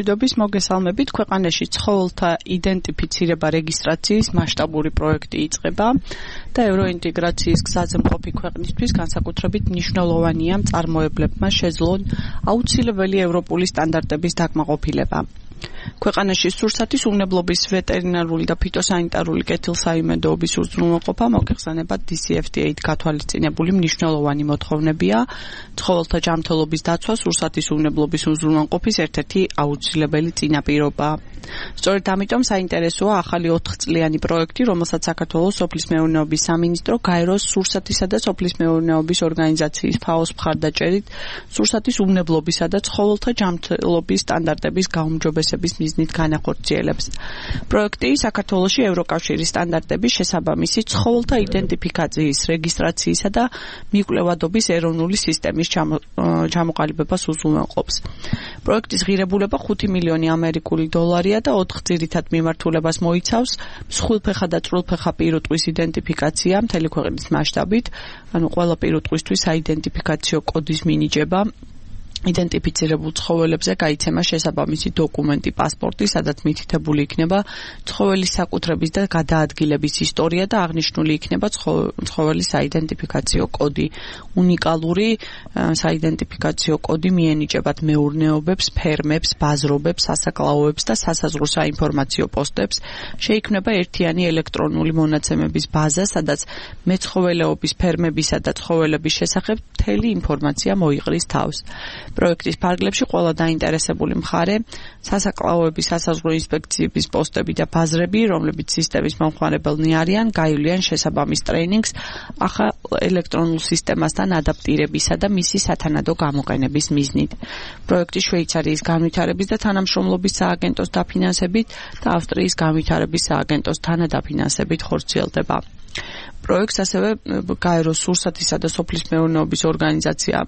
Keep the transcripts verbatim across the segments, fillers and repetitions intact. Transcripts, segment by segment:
მშვიდობის მოგესალმებით. ქვეყანაში ცხოველთა იდენტიფიცირება რეგისტრაციის მასშტაბური პროექტი იწყება და ევროინტეგრაციის გზაზე მყოფი ქვეყნისთვის განსაკუთრებით მნიშვნელოვანია მწარმოებლებმა შეძლონ აუცილებელი ევროპული სტანდარტების დაკმაყოფილება. ქვეყანაში სურსათის უვნებლობის ვეტერინარული და ფიტოსანიტარული კეთილსაიმედოობის უზრუნველყოფა მოგეხსენებათ დი სი ეფ დი ეით გათვალისწინებული მნიშვნელოვანი მოთხოვნებია ცხოველთა ჯანმრთელობის დაცვა სურსათის უვნებლობის უზრუნველყოფის ერთ-ერთი აუცილებელი წინაპირობა. სწორედ ამიტომ საინტერესოა ახალი ოთხწლიანი პროექტი, რომელსაც საქართველოს სოფლის მეურნეობის სამინისტრო გაეროს სურსათისა და სოფლის მეურნეობის ორგანიზაციის ფაოს მხარდაჭერით სურსათის უვნებლობისა და ცხოველთა ჯანმრთელობის სტანდარტების გაუმჯობესების მიზნით განახორციელებს. პროექტი საქართველოში ევროკავშირის სტანდარტების შესაბამისი ცხოველთა იდენტიფიკაციის, რეგისტრაციისა და მიკვლევადობის ეროვნული სისტემის ჩამოყალიბებას უზრუნველყოფს. პროექტის ღირებულება ხუთი მილიონი ამერიკული დოლარია და ოთხ ძირითად მიმართულებას მოიცავს მსხვილფეხა და წვრილფეხა პირუტყვის იდენტიფიკაცია მთელი ქვეყნის მასშტაბით, ანუ ყველა პირუტყვისთვის საიდენტიფიკაციო კოდის მინიჭება. იდენტიფიცირებულ ცხოველებზე გაიცემა შესაბამისი დოკუმენტი, პასპორტი, სადაც მითითებული იქნება ცხოველის საკუთრების და გადაადგილების ისტორია და აღნიშნული იქნება ცხოველის საიდენტიფიკაციო კოდი. უნიკალური საიდენტიფიკაციო კოდი მიენიჭებათ მეურნეობებს, ფერმებს, ბაზრობებს, სასაკლაოებს და სასაზღვრო საინფორმაციო პოსტებს. შეიქმნება ერთიანი ელექტრონული მონაცემების ბაზა, სადაც მეცხოველეობის ფერმებისა და ცხოველების შესახებ მთელი ინფორმაცია მოიყრის თავს. პროექტის ფარგლებში ყველა დაინტერესებული მხარე, სასაკლაოების სასაზღვრო ინსპექციების პოსტები და ბაზრები, რომლებიც სისტემის მომხმარებელნი არიან, გაივლიან შესაბამის ტრეინინგს ახალ ელექტრონულ სისტემასთან ადაპტირებისა და მისი სათანადო გამოყენების მიზნით. პროექტი შვეიცარიის განვითარების და თანამშრომლობის სააგენტოს დაფინანსებით და ავსტრიის განვითარების სააგენტოს თანადაფინანსებით ხორციელდება. პროექტს ასევე გაეროს სურსათისა და სოფლის მეურნეობის ორგანიზაცია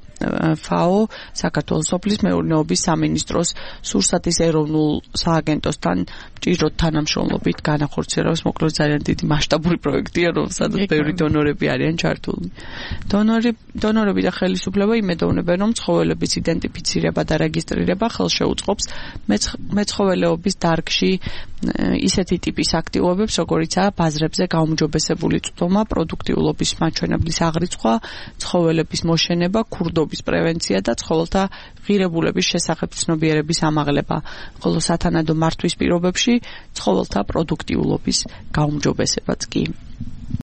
ფაო, საქართველოს სოფლის მეურნეობის სამინისტროს სურსათის ეროვნულ სააგენტოსთან ჭიროთ თანამშრომლობით განახორციელებს. მოკლედ ძალიან დიდი მასშტაბური პროექტია, რომელსაც ბევრი დონორები არიან ჩართული. დონორი დონორები და ხელისუფლება იმედოვნებენ, რომ ცხოველების იდენტიფიცირება და რეგისტრირება ხელშეუწყობს მეცხოველეობის დარგში ისეთი ტიპის აქტივობებს, როგორიცაა ბაზრებზე გაუმჯობესებული წვდომა, პროდუქტიულობის მაჩვენებლის აღრიცხვა, ცხოველების მოშენება, ქურდობის პრევენცია და ცხოველთა ღირებულების შესახებ ცნობიერების ამაღლება, ხოლო სათანადო მართვის პირობებში ცხოველთა პროდუქტიულობის გაუმჯობესებაც კი.